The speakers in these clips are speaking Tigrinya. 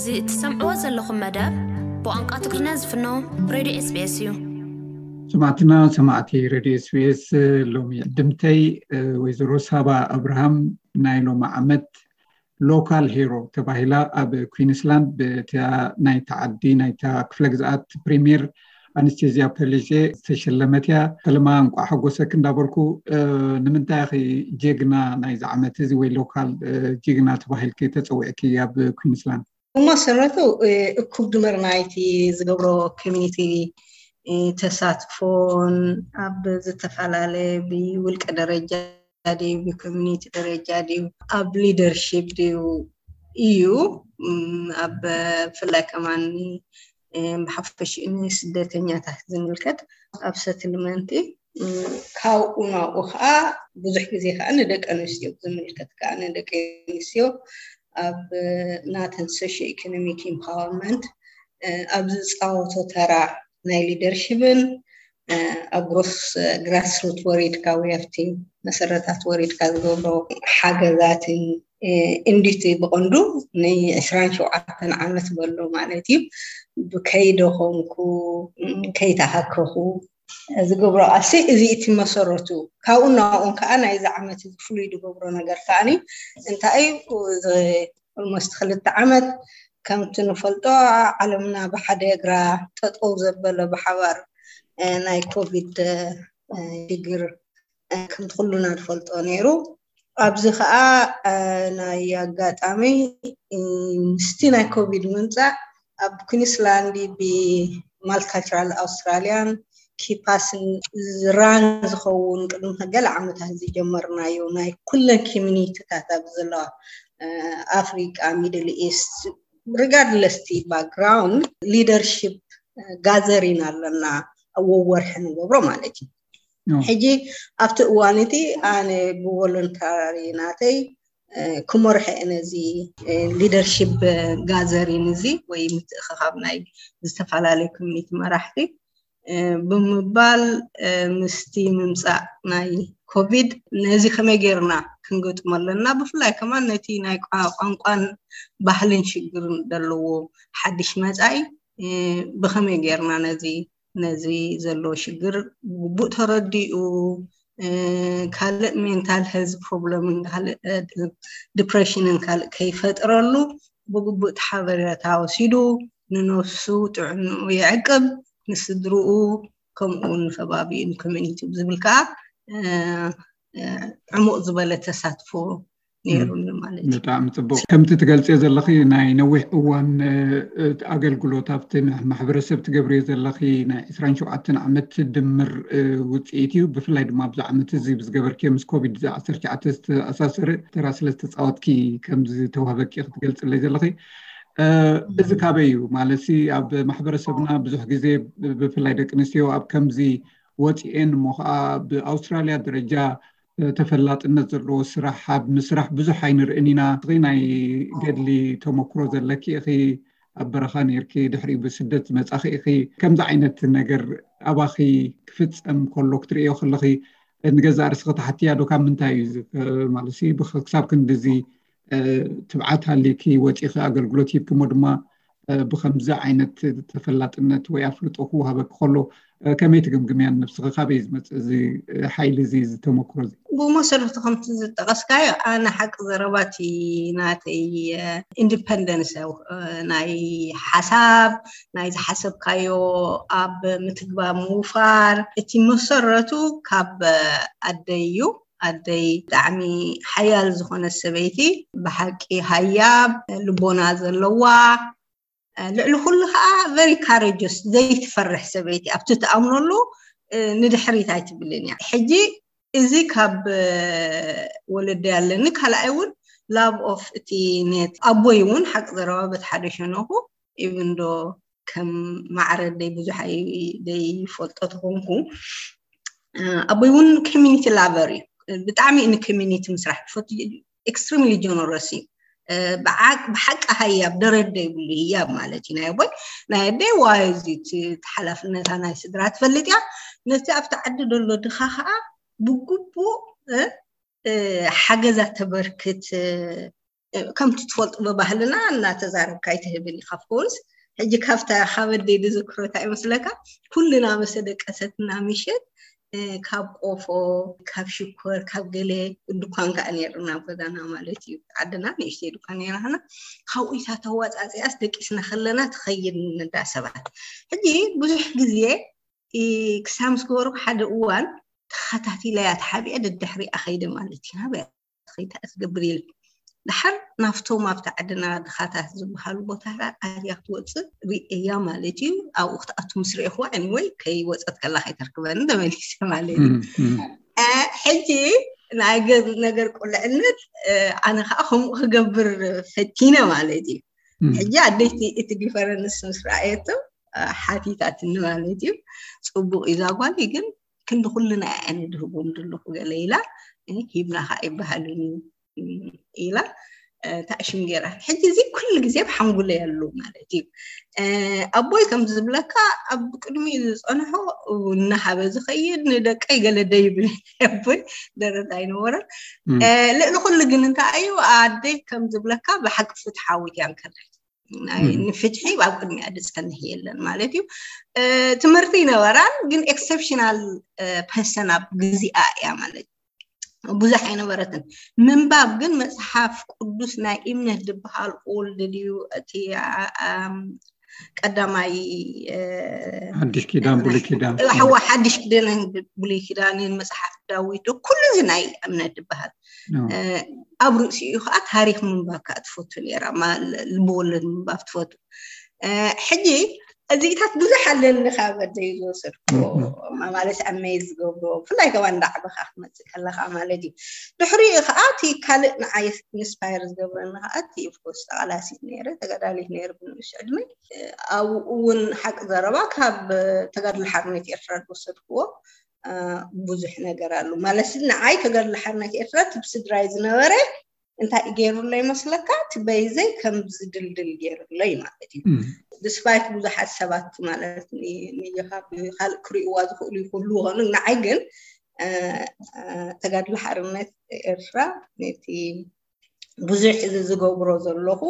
እዚ እትሰምዕዎ ዘለኹም መደብ ብቋንቋ ትግርኛ ዝፍኖ ሬድዮ ኤስቢኤስ እዩ። ሰማዕትና ሰማዕቲ ሬድዮ ኤስቢኤስ፣ ሎሚ ዕድምተይ ወይዘሮ ሳባ ኣብርሃም ናይ ሎሚ ዓመት ሎካል ሄሮ ተባሂላ ኣብ ኩዊንስላንድ ብታ ናይታ ዓዲ ናይታ ክፍለ ግዝኣት ፕሪሚየር ኣነስቴዝያ ፐሊዜ ዝተሸለመት እያ። ሰለማ፣ እንቋዕ ሓጎሰክ እንዳበልኩ፣ ንምንታይ ኢኺ ጀግና ናይዚ ዓመት እዚ ወይ ሎካል ጅግና ተባሂልኪ ተፀዊዕኪ ኣብ ኩዊንስላንድ? ብመሰረቱ እኩብ ድምር ናይቲ ዝገብሮ ኮሚኒቲ ተሳትፎን ኣብ ዝተፈላለየ ብውልቀ ደረጃ ድዩ ብኮሚኒቲ ደረጃ ድዩ ኣብ ሊደርሺፕ ድዩ እዩ። ኣብ ብፍላይ ከማን ብሓፈሽኡ ንስደተኛታት ዝምልከት ኣብ ሰትልመንቲ ካብኡ ናብኡ ከዓ ብዙሕ ግዜ ከዓ ንደቂ ኣንስትዮ ዝምልከት ከዓ ንደቂ ኣንስትዮ ኣብ ናተን ሶሽዮ ኢኮኖሚክ ኢምፓወርመንት ኣብ ዝፃወቶ ተራ ናይ ሊደርሽፕን ኣብ ግሮስ ግራስሩት ወሪድካ ወይ ኣብቲ መሰረታት ወሪድካ ዝገብሮ ሓገዛትን እንዲቲ ብቐንዱ ንዕስራን ሸውዓተን ዓመት በሎ ማለት እዩ። ከይደኸምኩ ከይተሃከኹ ዝገብሮ ቃልሲ እዚ እቲ መሰረቱ። ካብኡ ናብኡን ከዓ ናይዚ ዓመት እዚ ፍሉይ ዝገብሮ ነገር ከዓኒ እንታይ እዩ? ኦልሞስት ክልተ ዓመት ከምቲ ንፈልጦ ዓለምና ብሓደ እግራ ጠጠው ዘበለ ብሓባር ናይ ኮቪድ ሽግር ከምቲ ኩሉና ንፈልጦ ነይሩ። ኣብዚ ከዓ ናይ ኣጋጣሚ ምስቲ ናይ ኮቪድ ምምፃእ ኣብ ኩንስላንድ ብማልቲካልቸራል ኣውስትራሊያን ኪፓስን ዝራን ዝኸውን ቅድሚ ገለ ዓመታት ዝጀመርናዮ ናይ ኩለን ኮሚኒቲታት ኣብ ዘለዋ ኣፍሪቃ፣ ሚድል ኢስት፣ ሪጋርድለስ እቲ ባክግራውንድ ሊደርሺፕ ጋዘሪን ኣለና ወወርሒ ንገብሮ ማለት እዩ። ሕጂ ኣብቲ እዋን እቲ ኣነ ብቮለንታሪ ናተይ ክመርሖ እየ ነዚ ሊደርሺፕ ጋዘሪን እዚ ወይ ምትእኽኻብ ናይ ዝተፈላለዩ ኮሚኒቲ መራሕቲ ብምባል ምስቲ ምምፃእ ናይ ኮቪድ ነዚ ከመይ ገይርና ክንገጥሞ ኣለና። ብፍላይ ከማን ነቲ ናይ ቋንቋን ባህልን ሽግርን ዘለዎ ሓድሽ መፃኢ ብኸመይ ገይርና ነዚ ነዚ ዘሎ ሽግር ብግቡእ ተረዲኡ ካልእ ሜንታል ሄልዝ ፕሮብለምን ካልእ ዲፕሬሽንን ካልእ ከይፈጥረሉ ብግቡእ ሓበሬታ ወሲዱ ንነፍሱ ጥዕንኡ ይዕቅብ፣ ንስድርኡ ከምኡ እውን ንከባቢኡ ንኮሚኒቲ ዝብል ከዓ ዕሙቕ ዝበለ ተሳትፎ ነይሩኒ ማለት እዩ። ብጣዕሚ ፅቡቅ። ከምቲ ትገልፅዮ ዘለኺ ናይ ነዊሕ እዋን ኣገልግሎት ኣብቲ ማሕበረሰብ ትገብርዮ ዘለኺ ናይ ዕስራን ሸውዓተን ዓመት ድምር ውፅኢት እዩ። ብፍላይ ድማ ኣብዚ ዓመት እዚ ብዝገበርክዮ ምስ ኮቪድ ዓሰርተ ትሽዓተ ዝተኣሳሰረ ተራ ስለ ዝተፃወትኪ ከምዚ ተዋህበኪ ክትገልፅለይ ዘለኺ እዚ ካበይ እዩ ማለት ኣብ ማሕበረሰብና ብዙሕ ግዜ ብፍላይ ደቂ ኣንስትዮ ኣብ ከምዚ ወፂኤን እሞ ከዓ ብኣውስትራሊያ ደረጃ ተፈላጥነት ዘለዎ ስራሕ ኣብ ምስራሕ ብዙሕ ኣይንርእን ኢና። ናይ ገድሊ ተመክሮ ዘለኪ ኢኺ፣ ኣብ በረኻ ነይርኪ፣ ድሕሪኡ ብስደት ዝመጻኺ ኢኺ። ከምዚ ዓይነት ነገር ኣባኺ ክፍጸም ከሎ ክትርእዮ ከለኺ ንገዛእ ርእስኺ ተሓትያ ዶ ካብ ምንታይ እዩ ማለት ክሳብ ክንድዚ ትብዓት ሃልይኪ ወጺኺ ኣገልግሎት ሂብኪ እሞ ድማ ብከምዚ ዓይነት ተፈላጥነት ወይ ኣፍልጦ ክወሃበኪ ከሎ ከመይ ትግምግምያ ንነብስኺ? ካበይ ዝመፅእ እዚ ሓይሊ እዚ፣ እዚ ተመክሮ እዚ? ብመሰረቱ ከምቲ ዝጠቐስካዮ ኣነ ሓቂ ዘረባቲ ናተይ ኢንዲፐንደንስ ናይ ሓሳብ ናይ ዝሓሰብካዮ ኣብ ምትግባር ምውፋር እቲ መሰረቱ ካብ ኣደይ እዩ። ኣደይ ብጣዕሚ ሓያል ዝኾነት ሰበይቲ ብሓቂ ሃያብ ልቦና ዘለዋ ልዕሊ ኩሉ ከዓ very courageous ዘይትፈርሕ ሰበይቲ ኣብቲ ትኣምነሉ ንድሕሪት ኣይትብልን እያ። ሕጂ እዚ ካብ ወለደይ ኣለኒ። ካልኣይ እውን love of እቲ ነት ኣቦይ እውን ሓቂ ዘረባ በቲ ሓደ ሸነኹ even ዶ ከም ማዕረ ደይ ብዙሕ ዘይፈልጦ ተኾንኩ ኣቦይ እውን ኮሚኒቲ ላቨር እዩ። ብጣዕሚ ን ኮሚኒቲ ምስራሕ ፈቱ። ኤክስትሪምሊ ጀነረስ እዩ። ብሓቂ ሃያብ ደረደ ይብሉ ህያብ ማለት እዩ ናይ ኣቦይ ናይ ኣደይ ዋይ እዚ ሓላፍነታ ናይ ስድራ ትፈልጥ እያ። ነቲ ኣብቲ ዓዲ ዘሎ ድኻ ከዓ ብግቡእ ሓገዛ ተበርክት ከምቲ ትፈልጡ ብባህልና እናተዛረብካ ኣይትህብን ኢኻ። ኮርስ ሕጂ ካብታ ካብ ኣደይ ዝዝክሮ እንታይ ይመስለካ? ኩልና መሰ ደቀሰትና ምሸት ካብ ቆፎ፣ ካብ ሽኮር፣ ካብ ገለ ድኳን ከዓ ነይርና ኣብ ገዛና ማለት እዩ። ዓድና ንእሽተይ ድኳን ነይራና። ካብኡ ኢታ ተዋፃፂኣስ ደቂስና ከለና ትኸይድ ንዳሰባት። ሕጂ ብዙሕ ግዜ ክሳብ ምስ ገበርኩ ሓደ እዋን ተኸታቲለያ ተሓቢአ ደድሕሪኣ ኸይደ ማለት እዩ። ናበያ ኸይታ ትገብር ኢለ ድሓር ናብቶም ኣብቲ ዓድና ድኻታት ዝበሃሉ ቦታታት ኣትያ ክትወፅእ ርእያ ማለት እዩ። ኣብኡ ክትኣቱ ምስ ርኤኽዋ፣ anyway፣ ከይወፀት ከላ ከይተርክበኒ ተመሊሰ ማለት እዩ። ሕጂ ናይ ነገር ቁልዕነት ኣነ ከዓ ከምኡ ክገብር ፈቲነ ማለት እዩ። ሕጂ ኣደይቲ እቲ ዲፈረንስ ምስ ረኣየቶ ሓቲታትኒ ማለት እዩ። ፅቡቅ እዩ ዛጓል ግን ክንዲ ኩልና እየ ኣነ ድህቦም ዘለኹ ገለ ኢላ፣ ሂብና ከዓ ይበሃልን እዩ ኢላ ታእሽም ገይራ። ሕጂ እዚ ኩሉ ግዜ ብሓንጉለ ያሉ ማለት እዩ። ኣቦይ ከም ዝብለካ ኣብ ቅድሚኡ ዝፀንሖ እናሃበ ዝኸይድ ንደቀይ ገለ ደይብል ኣቦይ ደረት ኣይነበረን። ልዕሊ ኩሉ ግን እንታይ እዩ ኣደይ ከም ዝብለካ ብሓቂ ፍትሓዊት እያ ንከርሕ ንፍትሒ ኣብ ቅድሚያ ዝፀንሕ የለን ማለት እዩ። ትምህርቲ ይነበራን ግን ኤክሰፕሽናል ፐርሰን ኣብ ግዚኣ እያ ማለት ብዙሕ ኣይነበረትን። ምንባብ ግን መፅሓፍ ቅዱስ ናይ እምነት ዝበሃል ኦልድ ድዩ እቲ ቀዳማይ ሓድሽ ኪዳን ብሉይ ኪዳን ሓዋ ሓድሽ ኪዳን ብሉይ ኪዳንን መፅሓፍ ዳዊት ኩሉ እዚ ናይ እምነት ዝበሃል ኣብ ርእሲኡ ከዓ ታሪክ ምንባብ ከዓ ትፈቱ ነራ ልብወለድ ምንባብ ትፈቱ። ሕጂ እዚኢታት ብዙሕ ኣለኒ ካብ ኣደይ ዝወሰድኩ ማለት ኣመይ ዝገብሮ ብፍላይ ከባ እንዳዕበኻ ክትመፅእ ከለካ ማለት እዩ። ድሕሪኡ ከዓ እቲ ካልእ ንዓይ ኢንስፓየር ዝገብረኒ ከዓ እቲ ኦፍኮርስ ተቃላሲት ነይረ ተጋዳሊት ነይረ ብንእሽ ዕድመይ ኣብኡ እውን ሓቂ ዘረባ ካብ ተጋድሎ ሓርነት ኤርትራ ዝወሰድክዎ ብዙሕ ነገር ኣሎ ማለት ንዓይ ተጋድሎ ሓርነት ኤርትራ ትብስድራይ ዝነበረ እንታይ ገይሩሎ ይመስለካ? እቲ በይዘይ ከም ዝድልድል ገይሩሎ እዩ ማለት እዩ። ድስፓይት ብዙሓት ሰባት ማለት ንየኻ ብካልእ ክርእይዋ ዝኽእሉ ይክህሉ ይኾኑ፣ ንዓይ ግን ተጋድሎ ሓርነት ኤርትራ ነቲ ብዙሕ እዚ ዝገብሮ ዘለኹ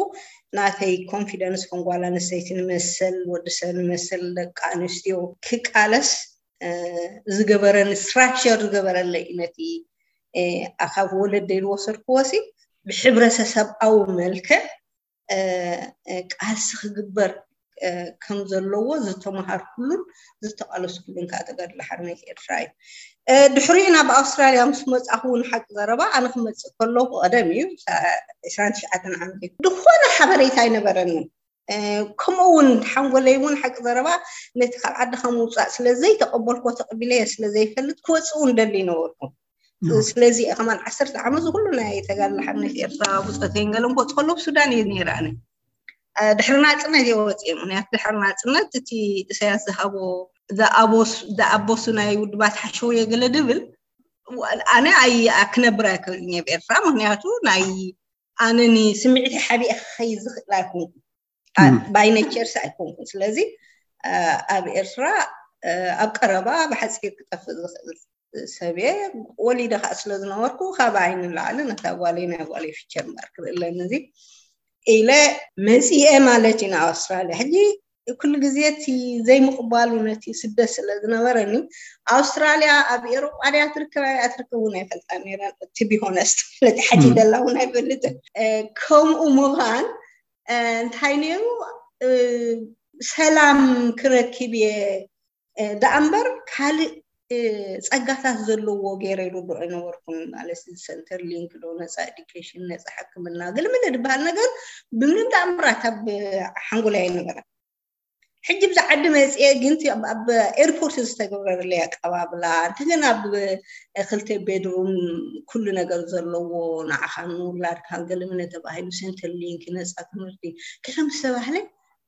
ናተይ ኮንፊደንስ ከም ጓል ኣንስተይቲ ንመሰል ወዲ ሰብ ንመሰል ደቂ ኣንስትዮ ክቃለስ ዝገበረኒ ስትራክቸር ዝገበረለይ እዩ። ነቲ ካብ ወለደይ ዝወሰድክዎ ሲ ብሕብረተሰብኣዊ መልክዕ ቃልሲ ክግበር ከም ዘለዎ ዝተመሃርኩሉን ዝተቃለስኩሉን ከዓ ተጋድሎ ሓርነት ኤርትራ እዩ። ድሕሪኡ ናብ ኣውስትራልያ ምስ መፃኹ እውን ሓቂ ዘረባ ኣነ ክመፅእ ከለኹ ቀደም እዩ ዕስራን ትሽዓተን ዓመት ዝኾነ ሓበሬታ ኣይነበረንን። ከምኡ እውን ሓንጎለይ እውን ሓቂ ዘረባ ነቲ ካብ ዓድኻ ምውፃእ ስለዘይተቐበልኮ ተቐቢለየ ስለዘይፈልጥ ክወፅእ እውን ደሊ ነበርኩ። ስለዚ ከማን ዓሰርተ ዓመት ዝኩሉ ናይ ተጋድሎ ሓርነት ኤርትራ ብፆተይን ገለን ክወፅ ከሎ ብሱዳን እየ ነይረ ኣነ። ድሕሪ ናፅነት እየ ወፅየ። ምክንያቱ ድሕሪ ናፅነት እቲ ኢሳያስ ዝሃቦ ዝኣቦሱ ናይ ውድባት ሓሸውየ ገለ ድብል ኣነ ኣይ ክነብር ኣይክእልን እየ ብኤርትራ። ምክንያቱ ናይ ኣነ ንስምዒት ሓቢአ ክኸይድ ዝኽእል ኣይኮንኩ ባይ ኔቸርስ ኣይኮንኩን። ስለዚ ኣብ ኤርትራ ኣብ ቀረባ ብሓፂር ክጠፍእ ዝኽእል ሰብየ ወሊደ ከዓ ስለ ዝነበርኩ ካብ ዓይኒ ንላዕሊ ነታ ጓለይ ናይ ጓለይ ፊቸር እምበር ክርኢ ኣለኒ እዚ ኢለ መፂኤ ማለት እዩ ንኣውስትራልያ። ሕጂ ኩሉ ግዜ እቲ ዘይምቕባሉ ነቲ ስደት ስለ ዝነበረኒ ኣውስትራልያ ኣብ ኤሮጳ ድያ ትርከብ ኣያ ትርከብ እውን ኣይፈልጣ ነይረ። ቱ ቢ ሆነስት ነቲ ሓቲተላ እውን ኣይፈልጥን። ከምኡ ምዃን እንታይ ነይሩ ሰላም ክረክብ እየ ደኣ እምበር ካልእ ፀጋታት ዘለዎ ገይረ ይርድኦ ኣይነበርኩን። ማለት ሰንተር ሊንክ ዶ ነፃ ኤዱኬሽን ነፃ ሕክምና ገለመለ ዝበሃል ነገር ብምንም ተኣምራት ኣብ ሓንጎለይ ኣይነበረን። ሕጂ ብዛ ዓዲ መፅኤ ግን ኣብ ኤርፖርት ዝተገብረለይ ኣቀባብላ እንተገና ኣብ ክልተ ቤድሩም ኩሉ ነገር ዘለዎ ንዓኻን ንውላድካን ገለመለ ተባሂሉ ሰንተር ሊንክ ነፃ ትምህርቲ ገለ ምስ ተባህለ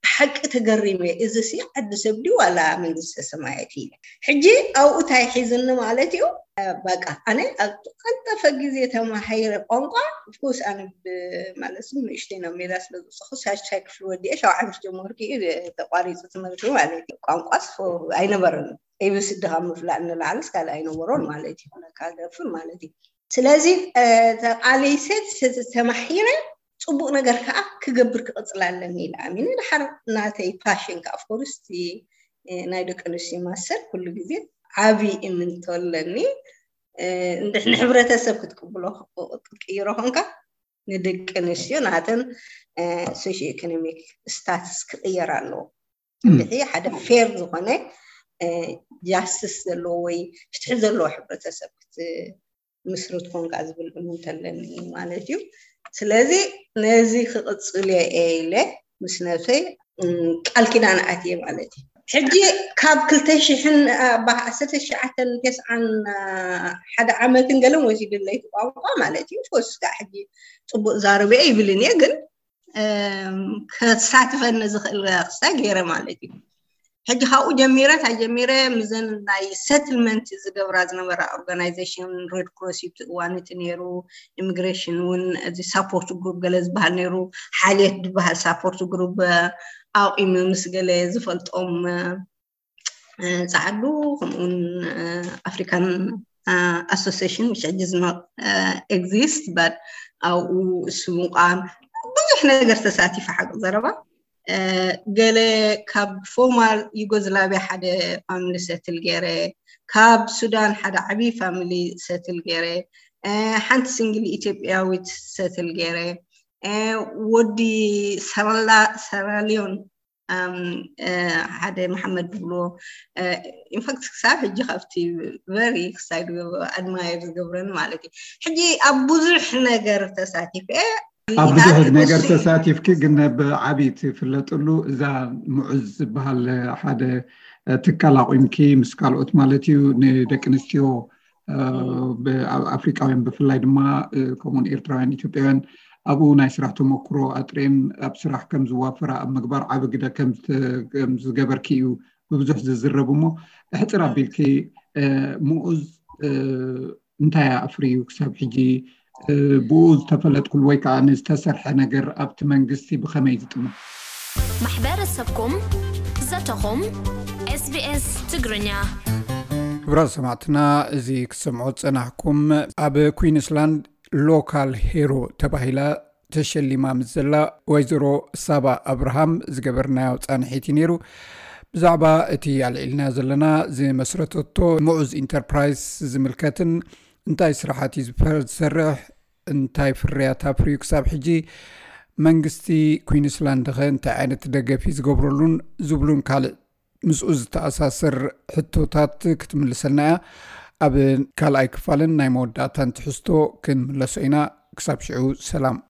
ብሓቂ ተገሪመ። እዚ ሲ ዓዲ ሰብ ድዩ ዋላ መንግስተ ሰማያት ኢለ። ሕጂ ኣብኡ እንታይ ሒዝኒ ማለት እዩ። በቃ ኣነ ኣብ ቀልጠፈ ግዜ ተማሂረ ቋንቋ ኦፍኮርስ ኣነ ማለት ንእሽተይ ናብ ሜዳ ስለ ዝወሰኹ ሳልሳይ ክፍሊ ወዲአ ሻውዓይ ምስ ጀመርኩ እዩ ተቋሪፁ ትምህርቲ ማለት እዩ። ቋንቋስ ኣይነበረን ኤቢሲዲ ካብ ምፍላጥ ንላዕልስ ካልእ ኣይነበሮን ማለት እዩ። ነካ ደፍር ማለት እዩ። ስለዚ ተቃሊሰ ተማሂረ ፅቡቅ ነገር ከዓ ክገብር ክቅፅል ኣለኒ ኢለ ኣሚነ። ድሓር ናተይ ፓሽን ከዓ ኦፍኮርስ ናይ ደቂ ኣንስትዮ ማሰር ኩሉ ግዜ ዓብዪ እምንቶ ኣለኒ። ንሕብረተሰብ ክትቅብሎ ክትቅይሮ ኮንካ ንደቂ ኣንስትዮ ናተን ሶሽዮ ኢኮኖሚክ ስታትስ ክቅየር ኣለዎ። እንድሕሪ ሓደ ፌር ዝኾነ ጃስትስ ዘለዎ ወይ ፍትሒ ዘለዎ ሕብረተሰብ ክትምስርት ኮንካ ዝብል እምንቶ ኣለኒ ማለት እዩ። ስለዚ ነዚ ክቕፅል እየ ኢለ ምስ ነብሰይ ቃል ኪዳን ኣትየ ማለት እዩ። ሕጂ ካብ ክልተ ሽሕን ዓሰርተ ትሽዓተን ተስዓን ሓደ ዓመትን ገለን ወሲድለይ ቋንቋ ማለት እዩ። ፎስ ከዓ ሕጂ ፅቡቅ ዛረበ ይብልን እየ ግን ከሳትፈኒ ዝኽእል ክስታይ ገይረ ማለት እዩ። ሕጂ ካብኡ ጀሚረ እንታይ ጀሚረ ምዘን ናይ ሰትልመንት ዝገብራ ዝነበራ ኦርጋናይዜሽን ሬድ ክሮስ እዩ እዋን እቲ ነይሩ። ኢሚግሬሽን እውን እዚ ሳፖርት ግሩፕ ገለ ዝበሃል ነይሩ። ሓልየት ዝበሃል ሳፖርት ግሩፕ ኣቂሙ ምስ ገለ ዝፈልጦም ፃዓዱ ከምኡውን ኣፍሪካን ኣሶሲሽን which ሕጂ ዝኖ ኤግዚስት በት ኣብኡ እሱ ምቋም ብዙሕ ነገር ተሳቲፈ ሓቂ ዘረባ ገለ ካብ ፎርማል ዩጎዝላቪያ ሓደ ፋሚሊ ሰትል ገይረ፣ ካብ ሱዳን ሓደ ዓብዪ ፋሚሊ ሰትል ገይረ፣ ሓንቲ ሲንግል ኢትዮጵያዊት ሰትል ገይረ፣ ወዲ ሰራሊዮን ሓደ መሓመድ ዝብልዎ ኢንፋክት ክሳብ ሕጂ ካብቲ ቨሪ ክሳይ ኣድማየር ዝገብረኒ ማለት እዩ። ሕጂ ኣብ ብዙሕ ነገር ተሳቲፈ ኣብ ብዙሕ ነገር ተሳቲፍኪ ግን ብዓቢ ትፍለጥሉ እዛ ሙዑዝ ዝበሃል ሓደ ትካል ኣቑምኪ ምስ ካልኦት ማለት እዩ ንደቂ ኣንስትዮ ኣፍሪቃውያን ብፍላይ ድማ ከምኡን ኤርትራውያን ኢትዮጵያውያን ኣብኡ ናይ ስራሕ ተመክሮ ኣጥሬን ኣብ ስራሕ ከም ዝዋፈራ ኣብ ምግባር ዓቢ ግደ ከም ዝገበርኪ እዩ ብብዙሕ ዝዝረብ እሞ ሕፅር ኣቢልኪ ሙኡዝ እንታይ ኣፍርዩ ክሳብ ሕጂ ብኡ ዝተፈለጥኩሉ ወይ ከዓ ንዝተሰርሐ ነገር ኣብቲ መንግስቲ ብኸመይ ዝጥሙ ማሕበረሰብኩም ዘተኹም ኤስቢኤስ ትግርኛ ክብራት ሰማዕትና እዚ ክሰምዖ ዝፀናሕኩም ኣብ ኩዊንስላንድ ሎካል ሄሮ ተባሂላ ተሸሊማ ምስ ዘላ ወይዘሮ ሳባ ኣብርሃም ዝገበርናዮ ፃንሒት እዩ ነይሩ። ብዛዕባ እቲ ኣልዒልና ዘለና ዝመስረተቶ ምዑዝ ኢንተርፕራይዝ ዝምልከትን እንታይ ስራሓት እዩ ዝሰርሕ እንታይ ፍርያት ኣፍርዩ ክሳብ ሕጂ መንግስቲ ኩዊንስላንድ ኸ እንታይ ዓይነት ደገፍ እዩ ዝገብረሉን ዝብሉን ካልእ ምስኡ ዝተኣሳሰር ሕቶታት ክትምልሰልና እያ። ኣብ ካልኣይ ክፋልን ናይ መወዳእታን ትሕዝቶ ክንምለሶ ኢና። ክሳብ ሽዑ ሰላም።